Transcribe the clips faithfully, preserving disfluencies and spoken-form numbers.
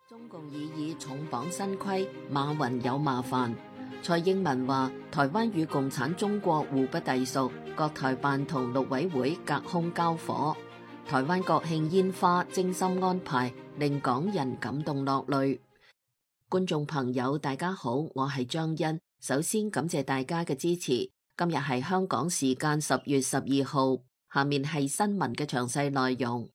中共已以重磅新規，馬雲有麻煩。蔡英文話：台灣與共產中國互不隸屬，國台辦同陸委會隔空交火。台灣國慶煙花精心安排，令港人感動落淚。觀眾朋友，大家好，我係張欣。首先感謝大家嘅支持。今日係香港時間十月十二號，下面係新聞嘅詳細內容。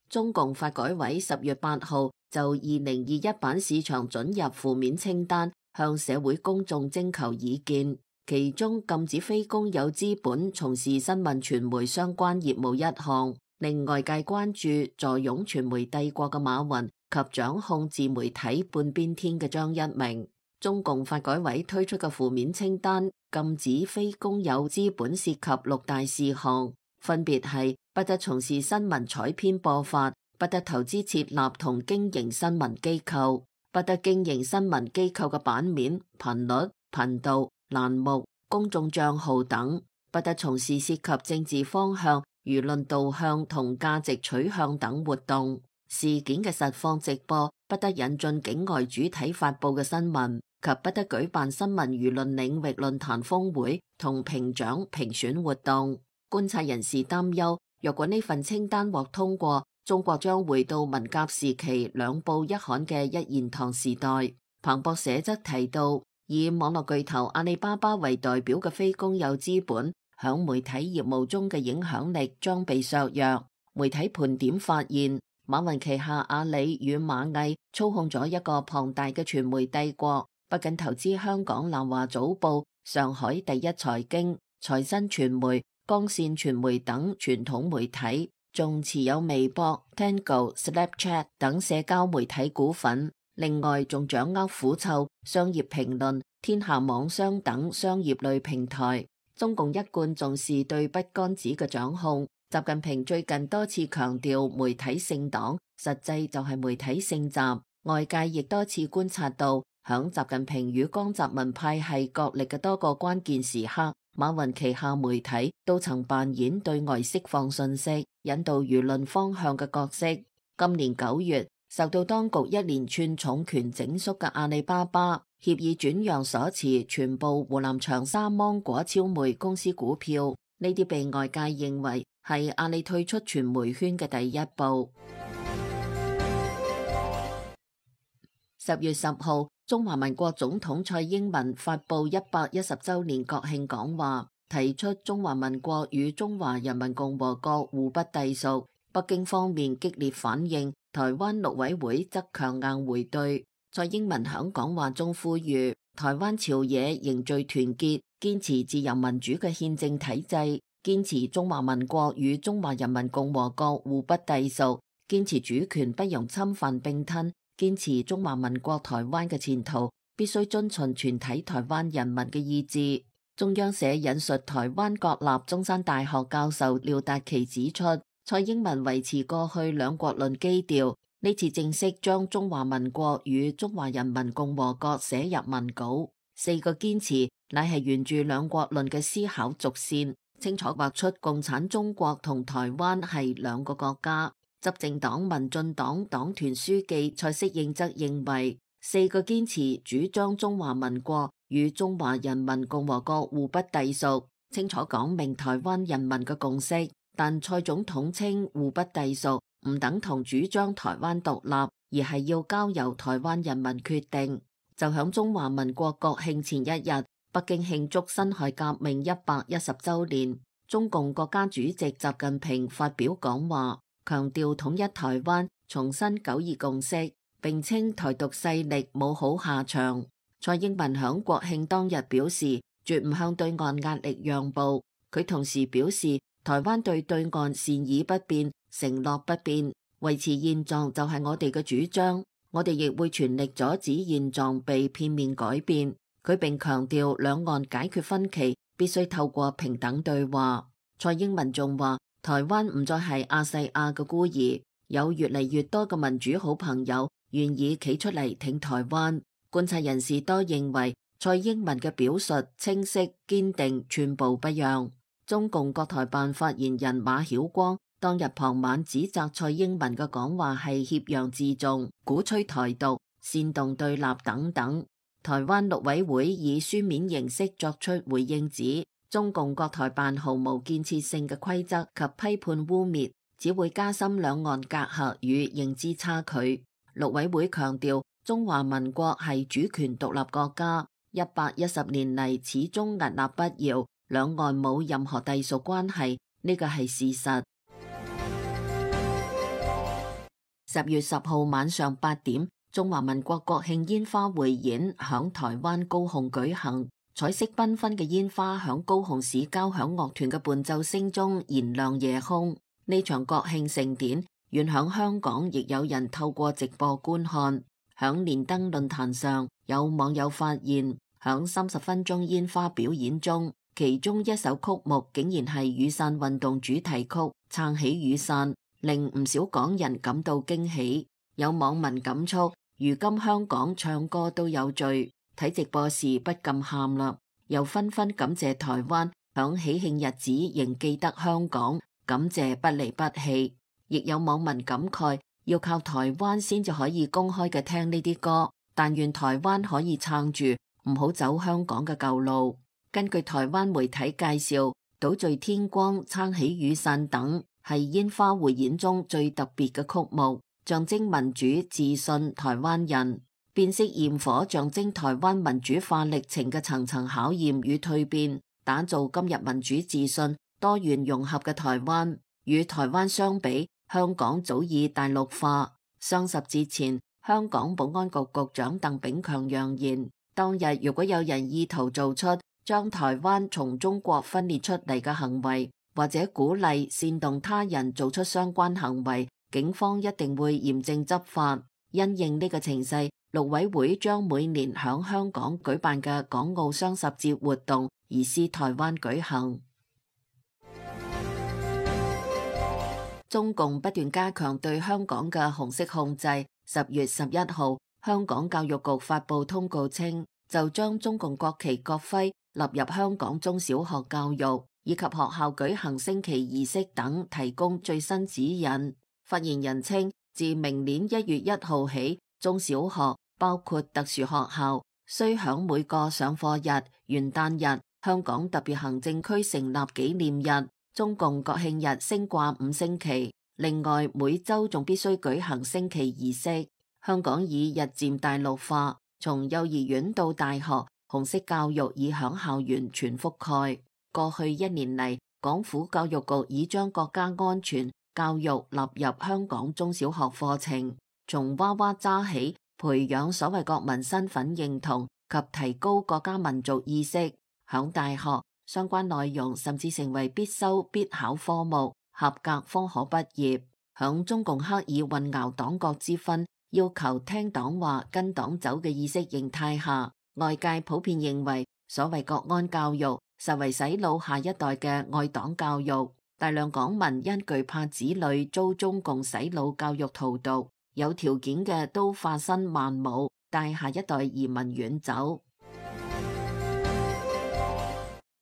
中共發改委十月八號就二零二一版市場准入負面清單向社會公眾徵求意見，其中禁止非公有資本從事新聞傳媒相關業務一項，令外界關注坐擁傳媒帝國嘅馬雲及掌控自媒體半邊天嘅張一鳴。中共發改委推出嘅負面清單禁止非公有資本涉及六大事項，分別係不得從事新聞採編播發，不得投資設立同經營新聞機構，不得經營新聞機構嘅版面、頻率、頻道、欄目、公眾帳號等，不得從事涉及政治方向、輿論導向同價值取向等活動。事件嘅實況直播，不得引進境外主體發佈嘅新聞，及不得舉辦新聞輿論領域論壇峰會同評獎評選活動。觀察人士擔憂，若果呢份清單獲通過，中國將回到文革時期兩報一刊嘅一言堂時代。彭博社則提到，以網絡巨頭阿里巴巴為代表嘅非公有資本響媒體業務中嘅影響力將被削弱。媒體盤點發現，馬雲旗下阿里與螞蟻操控咗一個龐大嘅傳媒帝國，不僅投資香港南華早報、上海第一財經、財新傳媒、光線傳媒等傳統媒體，仲持有微博、Tango、Snapchat 等社交媒體股份。另外，仲掌握虎嗅、商業評論、天下網商等商業類平台。中共一貫重視對筆桿子嘅掌控。習近平最近多次強調媒體姓黨，實際就係媒體姓習。外界亦多次觀察到，響習近平與江澤民派系角力嘅多個關鍵時刻，馬雲旗下媒體都曾扮演對外釋放信息、引導輿論方向嘅角色。今年九月，受到當局一連串重拳整肅嘅阿里巴巴，協議轉讓所持全部湖南長沙芒果超媒公司股票，呢啲被外界認為係阿里退出傳媒圈嘅第一步。十月十號，中華民國總統蔡英文發布一百一十週年國慶講話，提出中華民國與中華人民共和國互不隸屬。北京方面激烈反應，台灣陸委會則強硬回對。蔡英文響講話中呼籲台灣朝野凝聚團結，堅持自由民主嘅憲政體制，堅持中華民國與中華人民共和國互不隸屬，堅持主權不容侵犯併吞，堅持中華民國台灣嘅前途必須遵循全體台灣人民嘅意志。中央社引述台灣國立中山大學教授廖達奇指出，蔡英文維持過去兩國論基調，呢次正式將中華民國與中華人民共和國寫入文稿。四個堅持乃係沿住兩國論嘅思考軸線，清楚畫出共產中國同台灣係兩個國家。執政黨民進黨黨團書記蔡適應則認為，四個堅持主張中華民國與中華人民共和國互不隸屬，清楚講明台灣人民嘅共識。但蔡總統稱互不隸屬唔等同主張台灣獨立，而係要交由台灣人民決定。就響中華民國國慶前一日，北京慶祝辛亥革命一百一十週年，中共國家主席習近平發表講話，強調統一台灣，重申九二共識，並稱台獨勢力冇好下場。蔡英文響國慶當日表示，絕唔向對岸壓力讓步。佢同時表示，台灣對對岸善意不變，承諾不變，維持現狀就係我哋嘅主張，我哋亦會全力阻止現狀被片面改變。佢並強調兩岸解決分歧必須透過平等對話。蔡英文仲話，台灣唔再係亞細亞嘅孤兒，有越嚟越多嘅民主好朋友願意企出嚟挺台灣。觀察人士多認為，蔡英文嘅表述清晰堅定，寸步不讓。中共國台辦發言人馬曉光當日傍晚指責蔡英文嘅講話係挾洋自重、鼓吹台獨、煽動對立等等。台灣陸委會以書面形式作出回應，指中共國台辦毫無建設性嘅規則及批判污衊，只會加深兩岸隔閡與認知差距。陸委會強調，中華民國係主權獨立國家，一百一十年嚟始終屹立不搖，兩岸冇任何隸屬關係，呢個係事實。十月十號晚上八點，中華民國國慶煙花匯演響台灣高雄舉行，彩色繽紛嘅煙花響高雄市交響樂團嘅伴奏聲中燃亮夜空。呢場國慶盛典，遠響香港亦有人透過直播觀看。響連登論壇上，有網友發現，響三十分鐘煙花表演中，其中一首曲目竟然係雨傘運動主題曲《撐起雨傘》，令唔少港人感到驚喜。有網民感觸，如今香港唱歌都有罪，睇直播時不禁喊啦。又紛紛感謝台灣響喜慶日子仍記得香港，感謝不離不棄。亦有網民感慨，要靠台灣先至可以公開嘅聽呢啲歌，但願台灣可以撐住，唔好走香港嘅舊路。根據台灣媒體介紹，島嶼天光、撐起雨傘等係煙花匯演中最特別嘅曲目，象徵民主自信台灣人。變色焰火象徵台灣民主化歷程嘅層層考驗與蛻變，打造今日民主自信、多元融合嘅台灣。與台灣相比，香港早已大陸化。雙十節前，香港保安局局長鄧炳強揚言，當日如果有人意圖做出將台灣從中國分裂出嚟嘅行為，或者鼓勵煽動他人做出相關行為，警方一定會嚴正執法。因應呢個情勢，陸委會將每年響香港舉辦嘅港澳雙十節活動移師台灣舉行。中共不斷加強對香港嘅紅色控制。十月十一號，香港教育局發布通告稱，就將中共國旗國徽納入香港中小學教育以及學校舉行升旗儀式等提供最新指引。發言人稱，自明年一月一號起，中小學包括特殊學校須響每個上課日、元旦日、香港特別行政區成立紀念日、中共國慶日升掛五星旗，另外每週仲必須舉行升旗儀式。香港已日漸大陸化，從幼兒園到大學，紅色教育已響校園全覆蓋。過去一年嚟，港府教育局已將國家安全教育納入香港中小學課程，從娃娃揸起，培養所謂國民身份認同及提高國家民族意識。響大學，相關內容甚至成為必修必考科目，合格方可畢業。響中共刻意混淆黨國之分，要求聽黨話跟黨走嘅意識形態下，外界普遍認為所謂國安教育實為洗腦下一代嘅愛黨教育。大量港民因懼怕子女遭中共洗腦教育荼毒，有條件嘅都化身孟母，帶下一代移民遠走。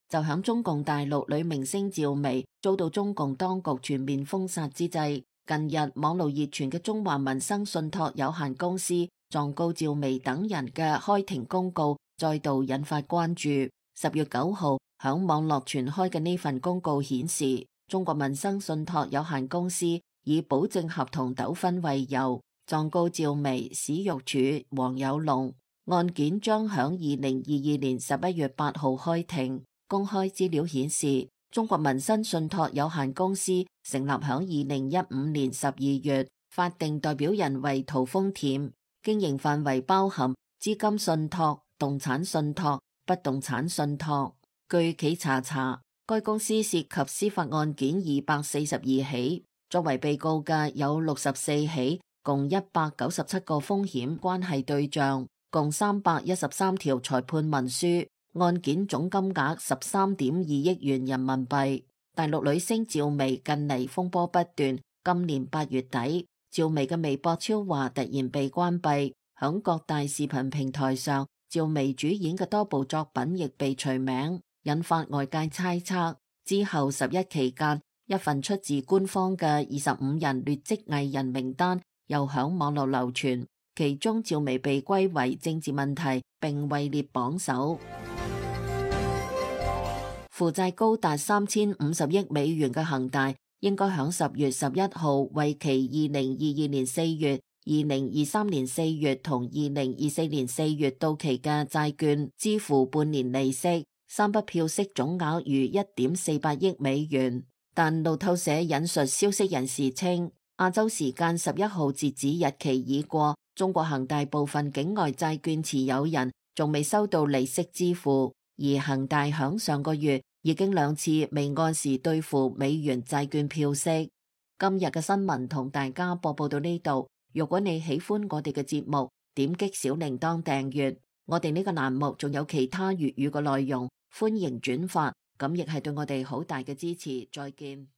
就響中共大陸女明星趙薇遭到中共當局全面封殺之際，近日網絡熱傳嘅中華民生信託有限公司狀告趙薇等人嘅開庭公告再度引發關注。十月九號響網絡傳開嘅呢份公告顯示，中國民生信託有限公司以保證合同糾紛為由，狀告趙薇、史玉柱、黃有龍。案件將響二零二二年十一月八號開庭。公開資料顯示，中國民生信託有限公司成立響二零一五年十二月，法定代表人為陶豐恬，經營範圍包含資金信託、動產信託、不動產信託。據企查查，該公司涉及司法案件二百四十二起，作為被告嘅有六十四起，共一百九十七個風險關係對象，共三百一十三條裁判文書。案件總金額十三點二億元人民幣。大陸女星趙薇近嚟風波不斷，今年八月底，趙薇嘅微博超話突然被關閉，響各大視頻平台上，趙薇主演嘅多部作品亦被除名，引發外界猜測，之後十一期間，一份出自官方嘅二十五人劣跡藝人名單又響網絡流傳，其中趙薇被歸為政治問題，並位列榜首。負債高達三千五十億美元嘅恒大，應該響十月十一號為期二零二二年四月、二零二三年四月同二零二四年四月到期嘅債券支付半年利息，三筆票息總額逾一點四八億美元。但路透社引述消息人士稱，亞洲時間十一號截止日期已過，中國恒大部分境外債券持有人仲未收到利息支付。而恒大響上個月已經兩次未按時兌付美元債券票息。今日嘅新聞同大家播報到呢度。如果你喜歡我哋嘅節目，點擊小鈴鐺訂閱。我哋呢個欄目仲有其他粵語嘅內容，歡迎轉發，咁亦係對我哋好大嘅支持。再見。